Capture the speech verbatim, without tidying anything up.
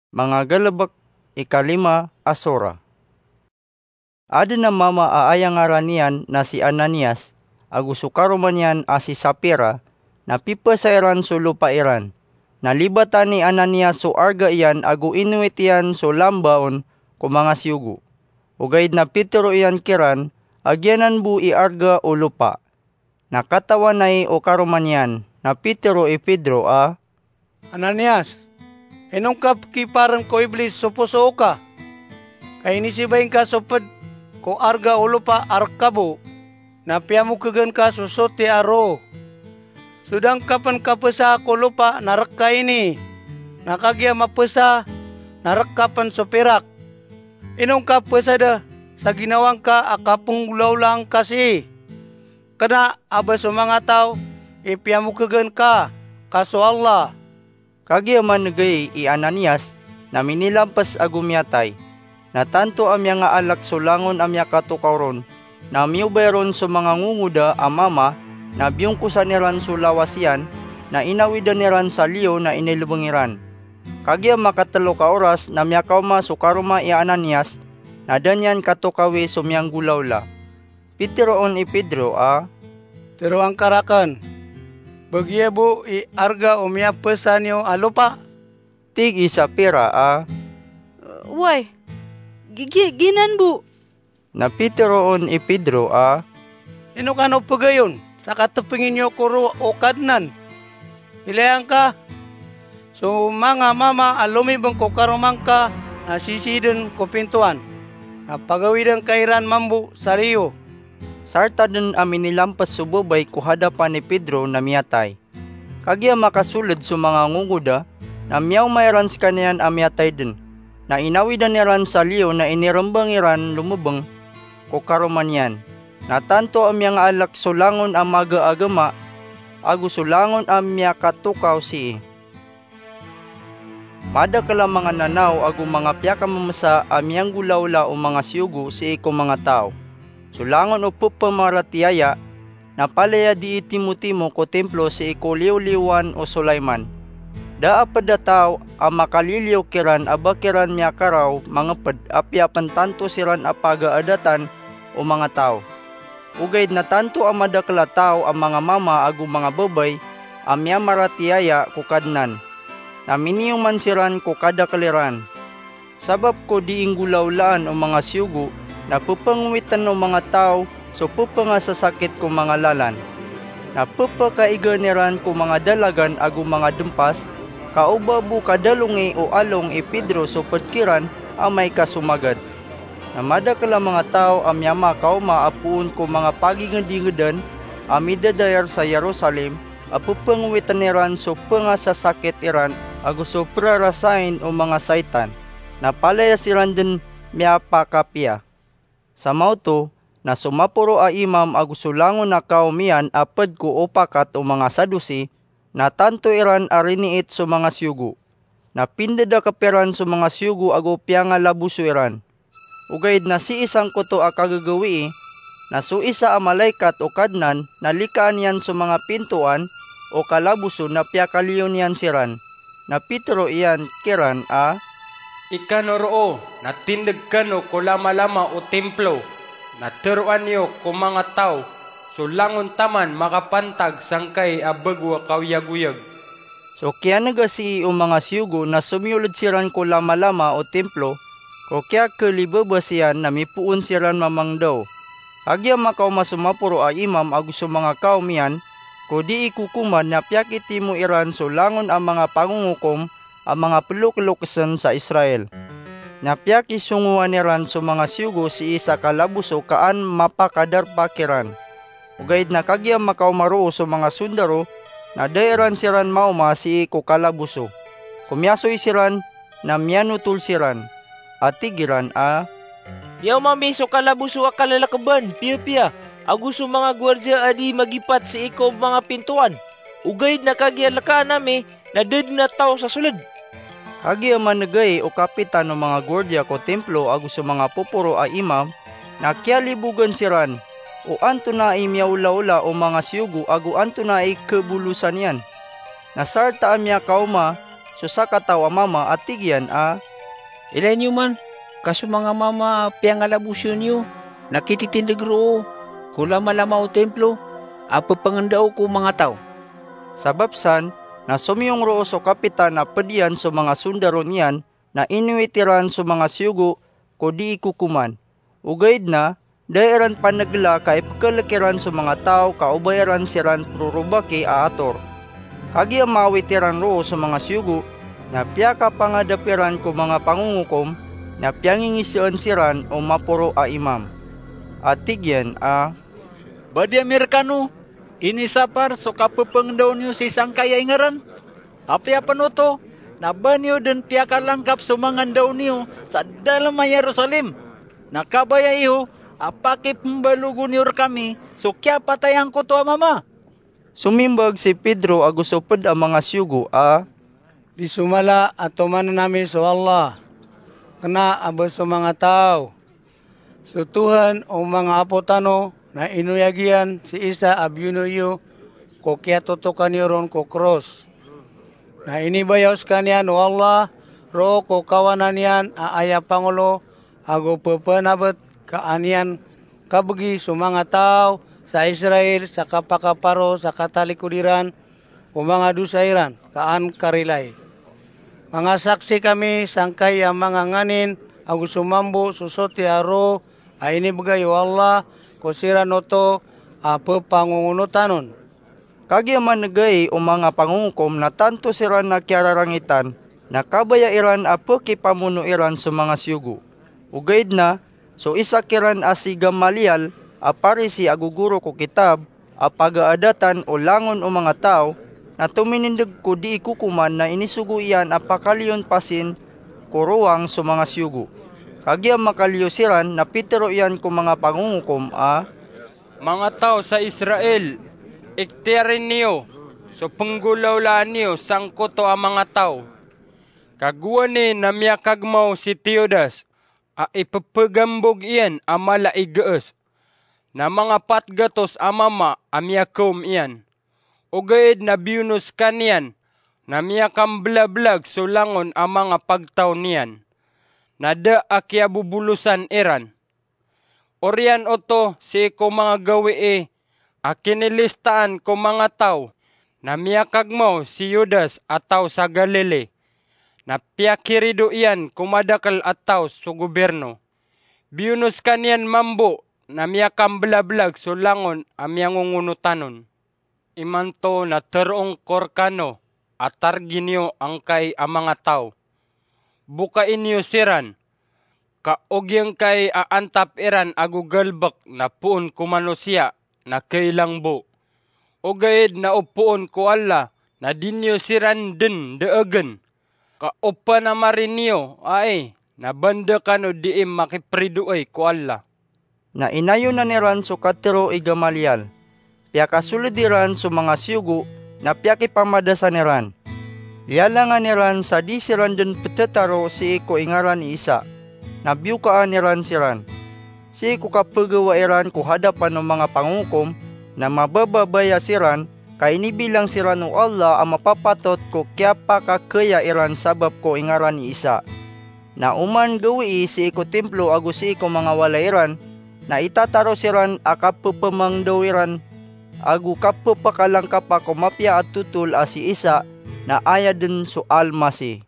Manga galebek, ikalima a sura. Aden a mama a aya ngaran iyan na si Ananias, ago so karoma niyan a si Safira, na pipesa iran so lopa iran. Na libatan i Ananias so arga iyan ago inowit iyan so lambaon ko manga siyogo. Ogaid na pitero iyan kiran a giyanan bo i arga o lopa. Na katawanai o karoma niyan, na pitero i Pedro a, "Ananias, ino ngka pekiparen ko Iblis so poso oka? Ka inisibay ngka so ped ko arga o lopa a reka bo, na piyamokegen ka so soti a roo. So da ngka pen kapesa ko lopa na reka ini, na kagiya mapesa na reka pen so pirak. Ino ngka pesada sa ginawa ngka a kapenggolawlaan ka sii? Kena a ba so manga taw i piyamokegen ka, ka so Allah." Kagiya manegay i Ananias, na minilampes ago miyatay. Na tanto a miyangaalek so langon a miyakatokaw ron, na miyobay ron so manga ngongoda a mama, na biyongkosan iran so lawas iyan, na inawidan iran sa liyo na inilebeng iran. Kagiya makatelo ka oras na miyakaoma so karoma i Ananias, na da niyan katokawi so miyanggolawla. Piteroon i Pedro a, "Teroan ka raken, ba giya bo i arga o miyapesa niyo a lopa?" Tig i Safira a, "Way, gi-, gi-, giyanan bo." Na piteroon i Pedro a, "Ino kano pegayon sa katepengin iyo ko roo o Kadnan? Ilaya ngka, so manga mama a lomibeng ko karoma ngka na sisii den ko pintoan, na pagawiden ka iran mambo sa liyo." Sarta den a minilampes so babay ko hadapan i Pedro na miyatay. Kagiya makasoled so manga ngongoda, na miyaoma iran sekaniyan a miyatay den. Na inawidan iran sa liyo na inirembang iran lomebeng ko karoma niyan. Na tanto a miyangaalek so langon a maga a gema, ago so langon a miyakatokaw sii. Madakel a manga nanaw ago manga piyakamemesa a miyanggolawla o manga siyogo sii ko manga taw. So langon o pepamaratiyaya, na palaya dii timotimo ko timplo sii ko liyoliyowan o Sulaiman. Da a ped a taw a makaliliyo kiran a ba kiran miyakaraw mangeped apiya pen tanto siran a pagaadatan o manga taw. Ogaid na tanto a madakel a taw a manga mama ago manga babay a miyamaratiyaya ko Kadnan, na miniyoman siran ko kadakel iran. Sabap ko dii nggolawlaan o manga siyogo, na pepengowiten o manga taw so pepengasasakit ko manga lalan. Na pepekaigaan iran ko manga dalagan ago manga dempas, ka o ba bo kadalongi o along i Pedro so ped kiran amay ka somagad. Na madakel a manga taw a miyamakaoma a poon ko manga pagingedingedan a midadayar sa Jerusalem a pepengowiten iran so pengasasakit iran ago so perarasain o manga saitan, na palaya siran den miyapakapiya. Sa maoto, na so maporo a imam ago so langon a kaom iyan a ped ko opakat o manga Sadusi, na tanto iran a riniit so manga siyogo. Na pindedakep iran so manga siyogo ago piyangalaboso iran. Ogaid na sii sangkoto a kagagawii, na so isa a malaikat o Kadnan na likaan iyan so manga pintoan o kalaboso na piyakaliyo niyan siran. Na pitero iyan kiran a, "Ikano roo na tindeg kano ko lamalama o timplo, na teroan iyo ko manga taw so langon taman makapantag sangkai a bago a kaoyagoyag." So kiyanega sii o manga siyogo na somiyoled siran ko lamalama o timplo ko kiyakelibabas iyan na mipoon siran mamangdaw. Kagiya makaoma so maporo a imam ago so manga kaom iyan ko dii kokoman na piyakitimo iran so langon a manga pangongokom a manga pelokelokesen sa Israel. Na piyakisongowan iran so manga siyogo sii sa kalaboso ka an mapakadarpa kiran. Ogaid na kagiya makaoma roo so manga sondaro, na da iran siran maoma sii ko kalaboso. Komiyasoy siran, na miyanotol siran, a tig iran a, "Miyaoma mi so kalaboso a kalalakeban piyapiya, ago so manga guwardiya a dii magipat sii ko manga pintoan. Ogaid na kagiya lekaan ami, na da den a taw sa soled." Kagiya manegay o kapitan o manga guwardiya ko timplo ago so manga poporo a imam, na kiyalibogan siran o antonaa i miyaolaola o manga siyogo ago antonaa i kebolosan iyan. Na sarta a miyakaoma so sakataw a mama a tig iyan a, "Ilay niyo man, ka so manga mama a piyangalabosan iyo na kititindeg roo ko lamalama o Timplo a pepangendao ko manga taw." Sabap san na somiyong roo so kapitan a ped iyan so manga sondaro niyan na inowit iran so manga siyogo ko dii kokoman. Ogaid na da iran panegela ka ipekelek iran so manga taw ka obay iran siran prorobaki a ator. Kagiya maawit iran roo so manga siyogo, na piyakapangadap iran ko manga pangongokom, na piyangingiseen siran o maporo a imam. A tig iyan a, "Badi ami rekano, inisapar so kapepengendao niyo si sangkai a ingaran. Apiya pen oto, na ba niyo den piyakalangkap so manga ndao niyo sa dalem a Jerusalem, na kabaya iyo a pakipembalogon iyo rekami so kiyapatay angkoto a mama." Somimbag si Pedro ago so ped a manga siyogo a, "Di so mala a tomanen ami so Allah, kena a ba so manga taw. So Tohan o manga apo tano na inoyag iyan si Isa a biyono iyo ko kiyatotoka niyo ron ko kros. Na inibayaw sekaniyan o Allah roo ko kawanan iyan a aya pangolo ago pepenabet ka an iyan kabegi so manga taw sa Israel sa kapakaparo sa katalikod iran ko manga dosa iran ka an karilai. Manga saksi kami sangkai a manga nganin ago so mambo so soti a roo a inibegay o Allah ko siran oto a pepangongonotan on." Kagiya manegai o manga pangongokom na tanto siran a kiyararangitan, na kabaya iran a pekipamono iran so manga siyogo. Ogaid na so isa kiran a si Gamaliel a Parisi ago goro ko kitab a pagaadatan o langon o manga taw, na tominindeg ko dii kokoman na inisogo iyan a pakaliyon pasin ko rowang so manga siyogo. Kagiya makaliyo siran na pitero iyan ko manga pangongokom a, "Manga taw sa Israel, iktiyari niyo so penggolawlaan iyo sangkoto a manga taw. Ka gowani na miyakagmaw si Teudas a ipepegambog iyan a mala i gees, na manga pat gatos a mama a miyakaom iyan. Ogaid na biyono sekaniyan na miyakambelabelag so langon a manga pagtaw niyan, na da a kiyabobolosan iran." Oriyan oto sii ko manga gawii a kinilistaan ko manga taw na miyakagmaw si Judas a taw sa Galili, na piyakirido iyan ko madakel a taw so gobirno. Biyono sekaniyan mambo na miyakambelabelag so langon a miyangongonotan on. Imanto na teroon ko rekano a targi niyo angkai a manga taw. Bokai niyo siran, ka o giyangkai a antap iran ago galebek na poon ko manosiya na kailang bo. Ogaid na o poon ko Allah na di niyo siran den deegen. Ka o panamari niyo ai na banda kano dii makipridoay ko Allah. Na inayonan iran so katero i Gamaliel. Piyakasoled iran so manga siyogo na piyakipamadasan iran. Liyalangan iran sa di siran den petetaro sii ko ingaran i Isa. Na biyokaan iran siran. Sii ko kapegawa iran ko hadapan o manga pangongokom, na mabababaya siran ka inibilang siran o Allah a mapapatot ko kiyapakakeya iran sabap ko ingaran i Isa. Na oman gawii sii ko Timplo ago sii ko manga walay iran, na itataro siran a kapepemangdaw iran ago kapepakalangkapa ko mapiya a totol a si Isa na aya den so Almasih.